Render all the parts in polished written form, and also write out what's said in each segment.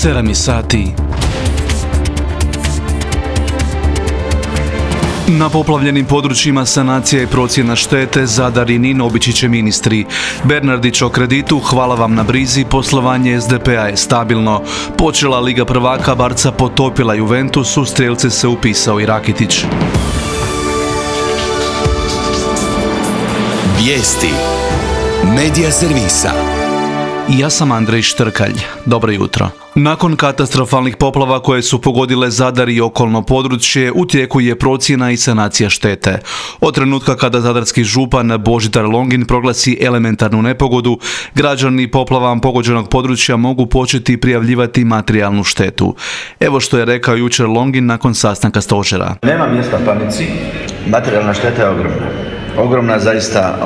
7 sati. Na poplavljenim područjima sanacija i procjena štete, Zadar i Nin obići će ministri. Bernardić o kreditu, hvala vam na brizi, poslovanje SDP-a je stabilno. Počela Liga prvaka, Barca potopila Juventus, u strijelce se upisao i Rakitić. Vijesti Medija servisa. Ja sam Andrej Štrkalj. Dobro jutro. Nakon katastrofalnih poplava koje su pogodile Zadar i okolno područje, u tijeku je procjena i sanacija štete. Od trenutka kada zadarski župan Božidar Longin proglasi elementarnu nepogodu, građani poplavom pogođenog područja mogu početi prijavljivati materijalnu štetu. Evo što je rekao jučer Longin nakon sastanka stožera. Nema mjesta panici, materijalna šteta je ogromna. Ogromna zaista,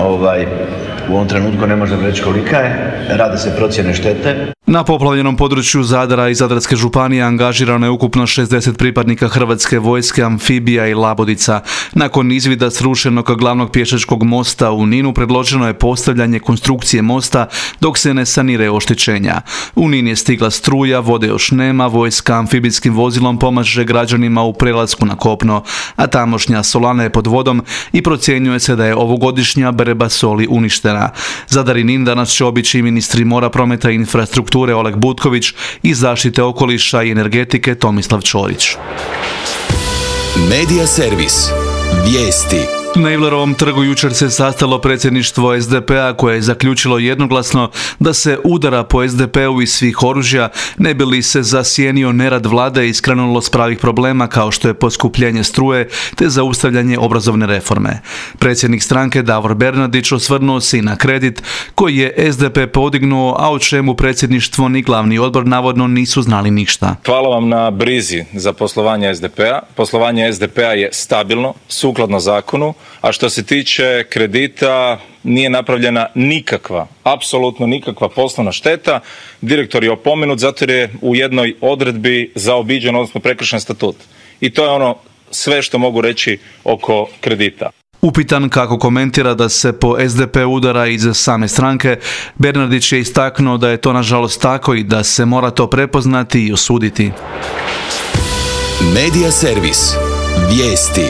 u ovom trenutku ne možemo reći kolika je, rade se procjene štete. Na poplavljenom području Zadara i Zadarske županije angažirano je ukupno 60 pripadnika Hrvatske vojske, amfibija i labodica. Nakon izvida srušenog glavnog pješačkog mosta u Ninu predloženo je postavljanje konstrukcije mosta dok se ne saniraju oštećenja. U Nin je stigla struja, vode još nema, vojska amfibijskim vozilom pomaže građanima u prelasku na kopno, a tamošnja solana je pod vodom i procjenjuje se da je ovogodišnja berba soli uništena. Zadar i Nin danas će obići ministri mora, prometa i infrastrukture Oleg Butković i zaštite okoliša i energetike Tomislav Ćorić. Medija servis. Vijesti. Na Ivlerovom trgu jučer se sastalo predsjedništvo SDP-a koje je zaključilo jednoglasno da se udara po SDP-u iz svih oružja, ne bi li se zasjenio nerad vlade i skrenulo s pravih problema kao što je poskupljenje struje te zaustavljanje obrazovne reforme. Predsjednik stranke Davor Bernardić osvrnuo se i na kredit koji je SDP podignuo, a o čemu predsjedništvo ni glavni odbor navodno nisu znali ništa. Hvala vam na brizi za poslovanje SDP-a. Poslovanje SDP-a je stabilno, sukladno zakonu. A što se tiče kredita, nije napravljena nikakva, apsolutno nikakva poslovna šteta. Direktor je opomenut zato jer je u jednoj odredbi zaobiđen, odnosno prekršen statut. I to je ono sve što mogu reći oko kredita. Upitan kako komentira da se po SDP udara iz same stranke, Bernardić je istaknuo da je to nažalost tako i da se mora to prepoznati i osuditi. Medija servis. Vijesti.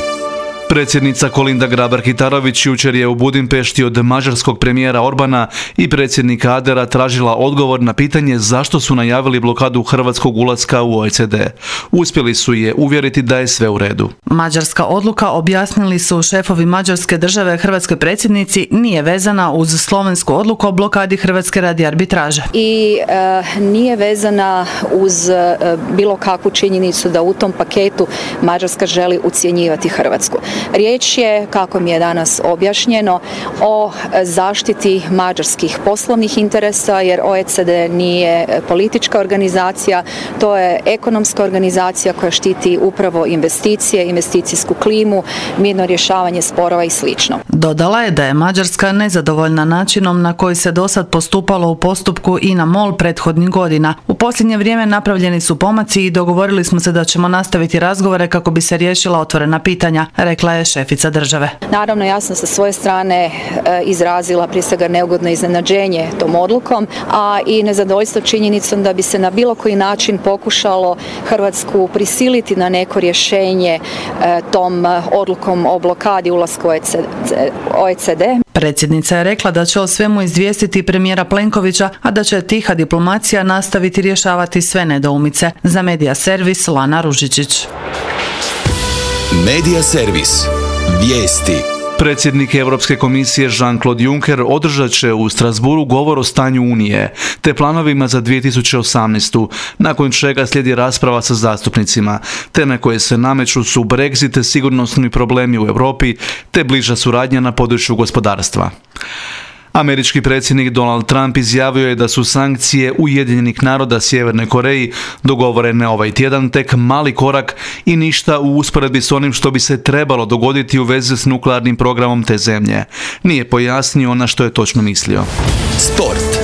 Predsjednica Kolinda Grabar-Kitarović jučer je u Budimpešti od mađarskog premijera Orbana i predsjednika Adera tražila odgovor na pitanje zašto su najavili blokadu hrvatskog ulaska u OECD. Uspjeli su je uvjeriti da je sve u redu. Mađarska odluka, objasnili su šefovi mađarske države hrvatskoj predsjednici, nije vezana uz slovensku odluku o blokadi Hrvatske radi arbitraže. I nije vezana uz bilo kakvu činjenicu da u tom paketu Mađarska želi ucjenjivati Hrvatsku. Riječ je, kako mi je danas objašnjeno, o zaštiti mađarskih poslovnih interesa, jer OECD nije politička organizacija, to je ekonomska organizacija koja štiti upravo investicije, investicijsku klimu, mirno rješavanje sporova i sl. Dodala je da je Mađarska nezadovoljna načinom na koji se dosad postupalo u postupku INA-MOL prethodnih godina. U posljednje vrijeme napravljeni su pomaci i dogovorili smo se da ćemo nastaviti razgovore kako bi se riješila otvorena pitanja, rekla je šefica države. Naravno, ja sam sa svoje strane izrazila prije svega neugodno iznenađenje tom odlukom, a i nezadovoljstvo činjenicom da bi se na bilo koji način pokušalo Hrvatsku prisiliti na neko rješenje tom odlukom o blokadi ulaska u OECD. Predsjednica je rekla da će o svemu izvijestiti premijera Plenkovića, a da će tiha diplomacija nastaviti rješavati sve nedoumice. Za Medija servis Lana Ružičić. Medija servis. Vijesti. Predsjednik Europske komisije Jean-Claude Juncker održat će u Strasbourgu govor o stanju Unije te planovima za 2018. nakon čega slijedi rasprava sa zastupnicima. Teme koje se nameću su Brexit, sigurnosni problemi u Europi te bliža suradnja na području gospodarstva. Američki predsjednik Donald Trump izjavio je da su sankcije Ujedinjenih naroda Sjevernoj Koreji dogovorene ovaj tjedan tek mali korak i ništa u usporedbi s onim što bi se trebalo dogoditi u vezi s nuklearnim programom te zemlje. Nije pojasnio na što je točno mislio. Sport.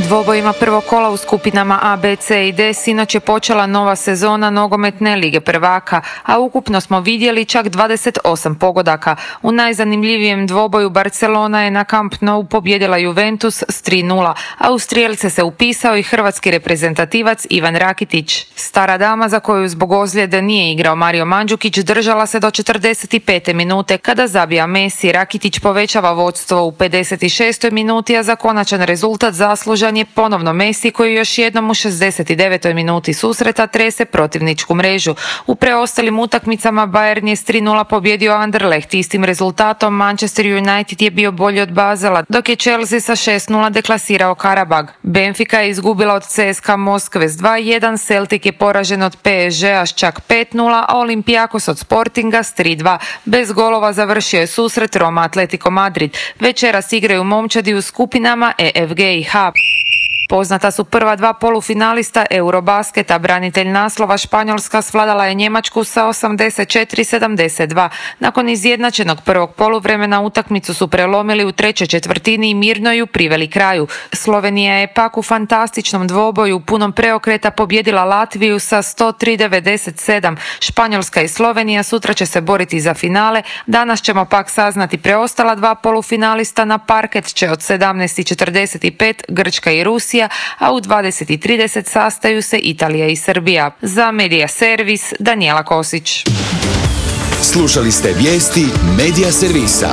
Dvobojima prvog kola u skupinama A, B, C i D sinoć je počela nova sezona nogometne lige prvaka, a ukupno smo vidjeli čak 28 pogodaka. U najzanimljivijem dvoboju Barcelona je na Camp Nou pobijedila Juventus s 3:0, a u strijelce se upisao i hrvatski reprezentativac Ivan Rakitić. Stara dama za koju zbog ozljede nije igrao Mario Mandžukić držala se do 45. minute kada zabija Messi. Rakitić povećava vodstvo u 56. minuti, a za konačan rezultat zaslužan je ponovno Messi koji još jednom u 69. minuti susreta trese protivničku mrežu. U preostalim utakmicama Bayern je s 3:0 pobjedio Anderlecht. Istim rezultatom Manchester United je bio bolji od Basela, dok je Chelsea sa 6:0 deklasirao Karabag. Benfica je izgubila od CSKA Moskve s 2:1, Celtic je poražen od PSG-a s čak 5:0, a Olympiakos od Sportinga s 3:2. Bez golova završio je susret Roma Atletico Madrid. Večeras igraju momčadi u skupinama E, F, G i H. Poznata su prva dva polufinalista Eurobasketa. Branitelj naslova Španjolska svladala je Njemačku sa 84-72. Nakon izjednačenog prvog poluvremena utakmicu su prelomili u trećoj četvrtini i mirno ju priveli kraju. Slovenija je pak u fantastičnom dvoboju punom preokreta pobjedila Latviju sa 103-97. Španjolska i Slovenija sutra će se boriti za finale. Danas ćemo pak saznati preostala dva polufinalista. Na parket će od 17:45 Grčka i Rusija, a u 20:30 sastaju se Italija i Srbija. Za Medija Servis, Danijela Kosić. Slušali ste vijesti Medija Servisa.